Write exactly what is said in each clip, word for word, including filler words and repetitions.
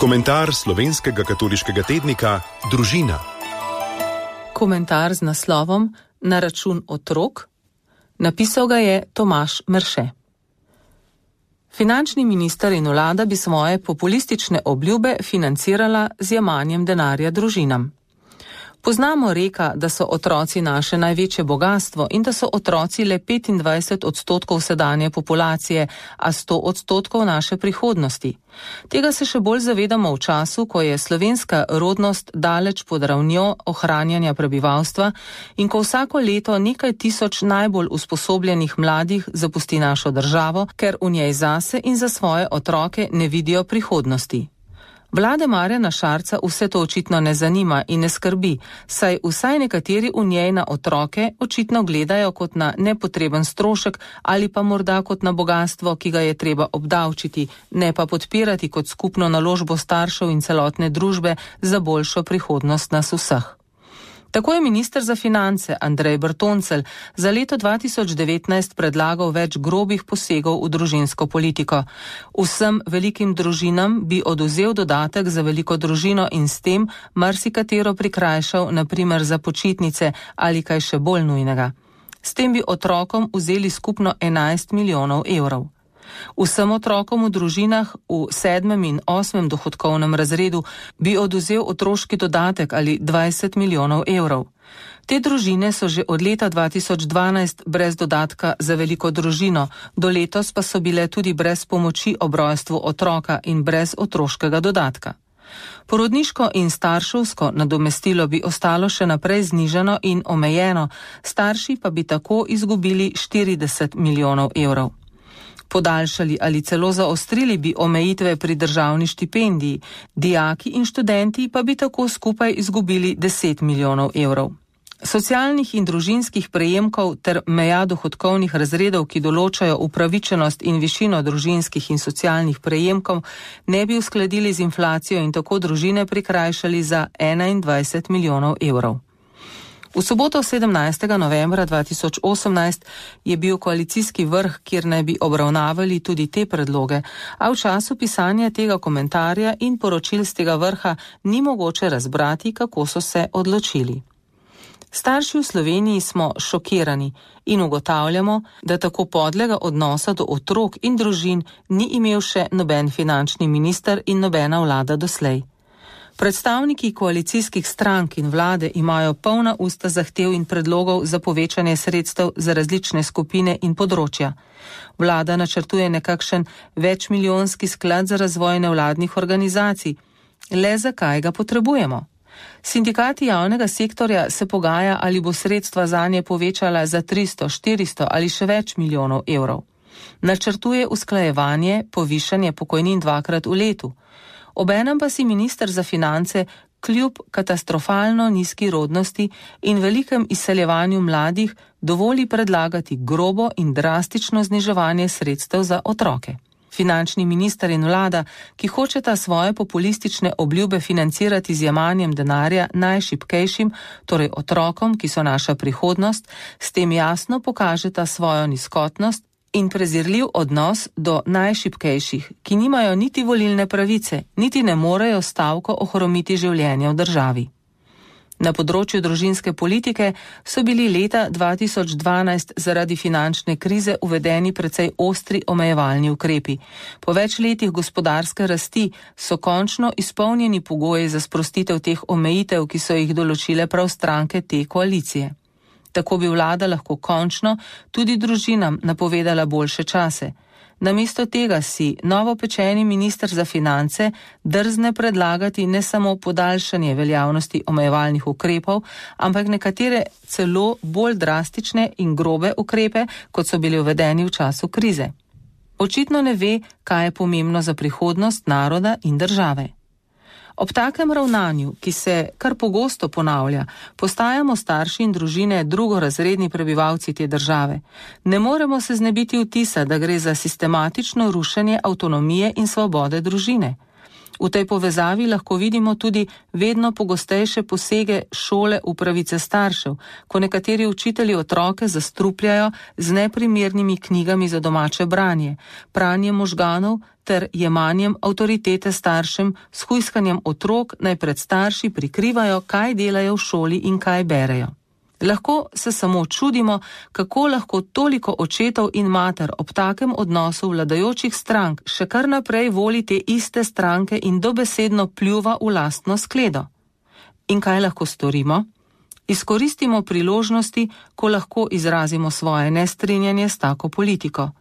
Komentar slovenskega katoliškega tednika Družina. Komentar z naslovom Na račun otrok. Napisal ga je Tomaž Merše. Finančni minister in vlada bi svoje populistične obljube financirala z jemanjem denarja družinam. Poznamo reka, da so otroci naše največje bogastvo in da so otroci le petindvajset odstotkov sedanje populacije, a sto odstotkov naše prihodnosti. Tega se še bolj zavedamo v času, ko je slovenska rodnost daleč pod ravnjo ohranjanja prebivalstva in ko vsako leto nekaj tisoč najbolj usposobljenih mladih zapusti našo državo, ker v njej zase in za svoje otroke ne vidijo prihodnosti. Vlade Marjana Šarca vse to očitno ne zanima in ne skrbi, saj vsaj nekateri v njej na otroke očitno gledajo kot na nepotreben strošek ali pa morda kot na bogastvo, ki ga je treba obdavčiti, ne pa podpirati kot skupno naložbo staršev in celotne družbe za boljšo prihodnost nas vseh. Tako je minister za finance Andrej Bertoncelj za leto dva tisoč devetnajst predlagal več grobih posegov v družinsko politiko. Vsem velikim družinam bi oduzel dodatek za veliko družino in s tem marsikatero prikrajšal, na primer za počitnice ali kaj še bolj nujnega. S tem bi otrokom vzeli skupno enajst milijonov evrov. Vsem otrokom v družinah v sedmem in osmem dohodkovnem razredu bi oduzel otroški dodatek ali dvajset milijonov evrov. Te družine so že od leta dva tisoč dvanajst brez dodatka za veliko družino, do letos pa so bile tudi brez pomoči ob rojstvu otroka in brez otroškega dodatka. Porodniško in starševsko nadomestilo bi ostalo še naprej znižano in omejeno, starši pa bi tako izgubili štirideset milijonov evrov. Podaljšali ali celo zaostrili bi omejitve pri državni štipendiji, dijaki in študenti pa bi tako skupaj izgubili deset milijonov evrov. Socialnih in družinskih prejemkov ter meja dohodkovnih razredov, ki določajo upravičenost in višino družinskih in socialnih prejemkov, ne bi uskladili z inflacijo in tako družine prikrajšali za enaindvajset milijonov evrov. V soboto sedemnajstega novembra dva tisoč osemnajst je bil koalicijski vrh, kjer naj bi obravnavali tudi te predloge, a v času pisanja tega komentarja in poročil z tega vrha ni mogoče razbrati, kako so se odločili. Starši v Sloveniji smo šokirani in ugotavljamo, da tako podlega odnosa do otrok in družin ni imel še noben finančni minister in nobena vlada doslej. Predstavniki koalicijskih strank in vlade imajo polna usta zahtev in predlogov za povečanje sredstev za različne skupine in področja. Vlada načrtuje nekakšen večmilijonski sklad za razvoj nevladnih organizacij. Le zakaj ga potrebujemo? Sindikati javnega sektorja se pogaja, ali bo sredstva zanje povečala za tristo, štiristo ali še več milijonov evrov. Načrtuje usklajevanje, povišanje pokojnin dvakrat v letu. Obenem pa si minister za finance kljub katastrofalno nizki rodnosti in velikem izseljevanju mladih dovoli predlagati grobo in drastično zniževanje sredstev za otroke. Finančni minister in vlada, ki hočeta svoje populistične obljube financirati z jemanjem denarja najšibkejšim, torej otrokom, ki so naša prihodnost, s tem jasno pokažeta svojo nizkotnost in prezirljiv odnos do najšibkejših, ki nimajo niti volilne pravice, niti ne morejo stavko ohromiti življenja v državi. Na področju družinske politike so bili leta dva tisoč dvanajst zaradi finančne krize uvedeni precej ostri omejevalni ukrepi. Po več letih gospodarske rasti so končno izpolnjeni pogoji za sprostitev teh omejitev, ki so jih določile prav stranke te koalicije. Tako bi vlada lahko končno tudi družinam napovedala boljše čase. Namesto tega si novopečeni minister za finance drzne predlagati ne samo podaljšanje veljavnosti omejevalnih ukrepov, ampak nekatere celo bolj drastične in grobe ukrepe, kot so bili uvedeni v času krize. Očitno ne ve, kaj je pomembno za prihodnost naroda in države. Ob takem ravnanju, ki se kar pogosto ponavlja, postajamo starši in družine drugorazredni prebivalci te države. Ne moremo se znebiti vtisa, da gre za sistematično rušenje avtonomije in svobode družine. V tej povezavi lahko vidimo tudi vedno pogostejše posege šole v pravice staršev, ko nekateri učitelji otroke zastrupljajo z neprimernimi knjigami za domače branje, pranjem možganov ter jemanjem avtoritete staršem s hujskanjem otrok, naj pred starši prikrivajo, kaj delajo v šoli in kaj berejo. Lahko se samo čudimo, kako lahko toliko očetov in mater ob takem odnosu vladajočih strank še kar naprej voli te iste stranke in dobesedno pljuva v lastno skledo. In kaj lahko storimo? Izkoristimo priložnosti, ko lahko izrazimo svoje nestrinjanje s tako politiko.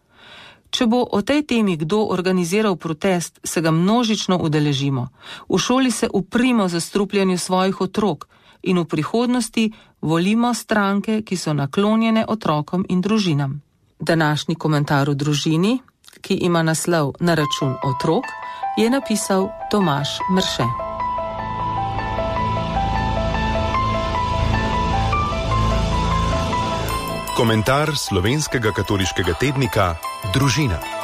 Če bo o tej temi kdo organiziral protest, se ga množično udeležimo. V šoli se uprimo zastrupljanju svojih otrok in v prihodnosti volimo stranke, ki so naklonjene otrokom in družinam. Današnji komentar v družini, ki ima naslov Na račun otrok, je napisal Tomaž Mrše. Komentar slovenskega katoliškega tednika Družina.